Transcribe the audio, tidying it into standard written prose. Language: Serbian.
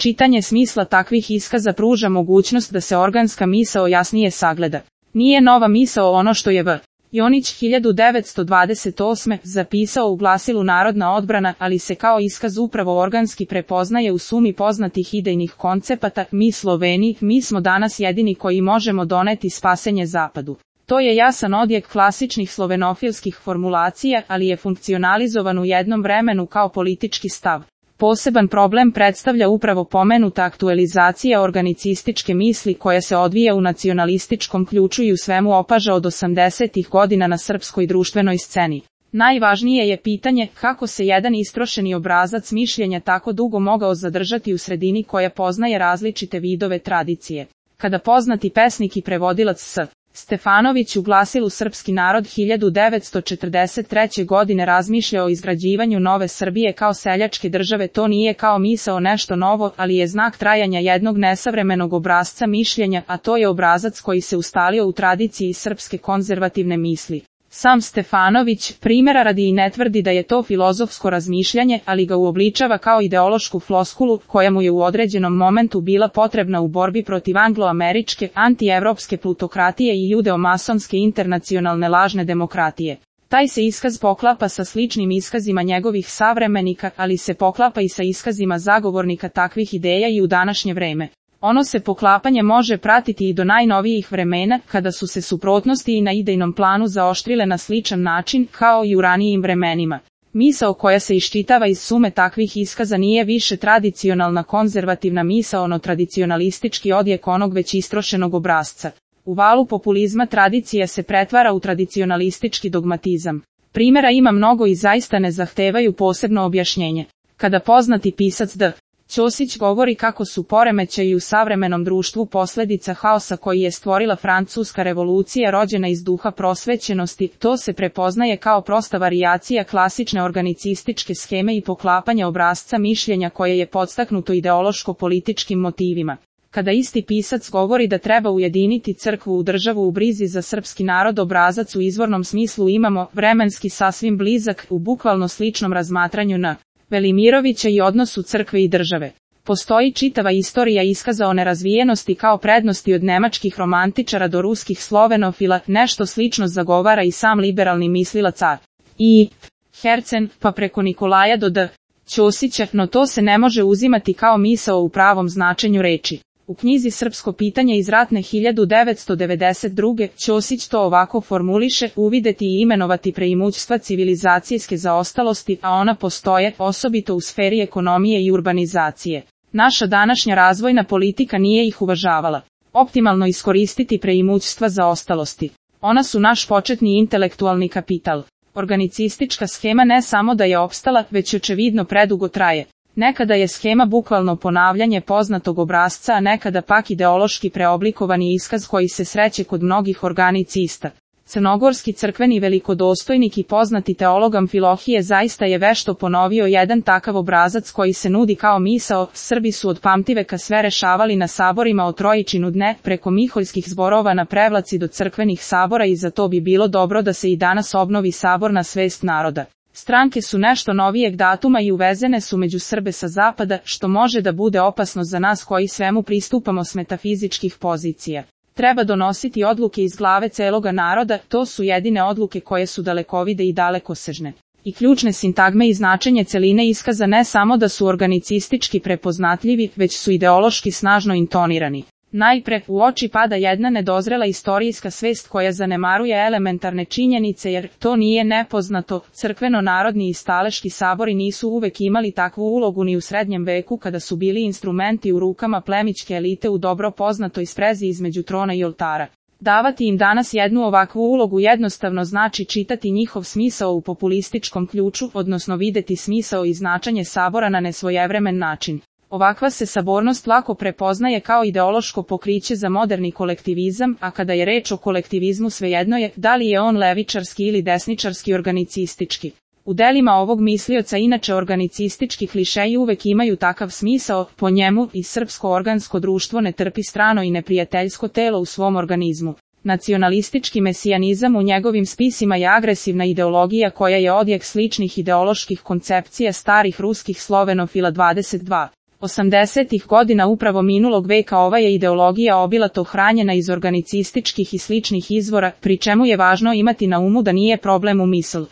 Čitanje smisla takvih iskaza pruža mogućnost da se organska misao jasnije sagleda. Nije nova misao ono što je V. Jonić 1928. zapisao u glasilu Narodna odbrana, ali se kao iskaz upravo organski prepoznaje u sumi poznatih idejnih koncepata. Mi Sloveni, mi smo danas jedini koji možemo doneti spasenje Zapadu. To je jasan odjek klasičnih slovenofilskih formulacija, ali je funkcionalizovan u jednom vremenu kao politički stav. Poseban problem predstavlja upravo pomenuta aktualizacija organicističke misli koja se odvija u nacionalističkom ključu i u svemu opaža od 80-ih godina na srpskoj društvenoj sceni. Najvažnije je pitanje kako se jedan istrošeni obrazac mišljenja tako dugo mogao zadržati u sredini koja poznaje različite vidove tradicije. Kada poznati pesnik i prevodilac S. Stefanović u glasilu Srpski narod 1943. godine razmišlja o izgrađivanju nove Srbije kao seljačke države, to nije kao misao nešto novo, ali je znak trajanja jednog nesavremenog obrazca mišljenja, a to je obrazac koji se ustalio u tradiciji srpske konzervativne misli. Sam Stefanović, primjera radi, i ne tvrdi da je to filozofsko razmišljanje, ali ga uobličava kao ideološku floskulu, koja mu je u određenom momentu bila potrebna u borbi protiv angloameričke, antievropske plutokratije i judeo-masonske internacionalne lažne demokratije. Taj se iskaz poklapa sa sličnim iskazima njegovih savremenika, ali se poklapa i sa iskazima zagovornika takvih ideja i u današnje vreme. Ono se poklapanje može pratiti i do najnovijih vremena, kada su se suprotnosti i na idejnom planu zaoštrile na sličan način, kao i u ranijim vremenima. Misao koja se iščitava iz sume takvih iskaza nije više tradicionalna konzervativna misao, ono tradicionalistički odjek onog već istrošenog obrasca. U valu populizma tradicija se pretvara u tradicionalistički dogmatizam. Primjera ima mnogo i zaista ne zahtevaju posebno objašnjenje. Kada poznati pisac D. Ćosić govori kako su poremećaji u savremenom društvu posljedica haosa koji je stvorila Francuska revolucija rođena iz duha prosvećenosti, to se prepoznaje kao prosta varijacija klasične organicističke scheme i poklapanja obrasca mišljenja koje je podstaknuto ideološko-političkim motivima. Kada isti pisac govori da treba ujediniti crkvu u državu u brizi za srpski narod, obrazac u izvornom smislu imamo, vremenski sasvim blizak, u bukvalno sličnom razmatranju na Velimirovića i odnosu crkve i države. Postoji čitava istorija iskaza o nerazvijenosti kao prednosti od nemačkih romantičara do ruskih slovenofila, nešto slično zagovara i sam liberalni mislilac A. I. Hercen, pa preko Nikolaja do D. Ćosića, no to se ne može uzimati kao misao u pravom značenju reči. U knjizi Srpsko pitanje iz ratne 1992. Ćosić to ovako formuliše: uvideti i imenovati preimućstva civilizacijske zaostalosti, a ona postoje, osobito u sferi ekonomije i urbanizacije. Naša današnja razvojna politika nije ih uvažavala. Optimalno iskoristiti preimućstva zaostalosti. Ona su naš početni intelektualni kapital. Organicistička schema ne samo da je opstala, već očevidno predugo traje. Nekada je schema bukvalno ponavljanje poznatog obrasca, a nekada pak ideološki preoblikovani iskaz koji se sreće kod mnogih organicista. Crnogorski crkveni velikodostojnik i poznati teolog Amfilohije zaista je vešto ponovio jedan takav obrazac koji se nudi kao misao. Srbi su od pamtiveka sve rešavali na saborima o Trojičinu dne, preko miholjskih zborova na Prevlaci do crkvenih sabora, i za to bi bilo dobro da se i danas obnovi sabor na svest naroda. Stranke su nešto novijeg datuma i uvezene su među Srbe sa zapada, što može da bude opasno za nas koji svemu pristupamo s metafizičkih pozicija. Treba donositi odluke iz glave celoga naroda, to su jedine odluke koje su dalekovide i dalekosežne. I ključne sintagme i značenje celine iskaza ne samo da su organicistički prepoznatljivi, već su ideološki snažno intonirani. Najpre, u oči pada jedna nedozrela istorijska svest koja zanemaruje elementarne činjenice, jer to nije nepoznato, crkveno-narodni i staleški sabori nisu uvek imali takvu ulogu ni u srednjem veku, kada su bili instrumenti u rukama plemićke elite u dobro poznatoj sprezi između trona i oltara. Davati im danas jednu ovakvu ulogu jednostavno znači čitati njihov smisao u populističkom ključu, odnosno videti smisao i značenje sabora na nesvojevremen način. Ovakva se sabornost lako prepoznaje kao ideološko pokriće za moderni kolektivizam, a kada je reč o kolektivizmu svejedno je da li je on levičarski ili desničarski organicistički. U delima ovog mislioca inače organicistički klišeji uvek imaju takav smisao, po njemu i srpsko organsko društvo ne trpi strano i neprijateljsko telo u svom organizmu. Nacionalistički mesijanizam u njegovim spisima je agresivna ideologija koja je odjek sličnih ideoloških koncepcija starih ruskih slovenofila 22. 80-ih godina upravo minulog veka ova je ideologija obilato hranjena iz organicističkih i sličnih izvora, pri čemu je važno imati na umu da nije problem u misl.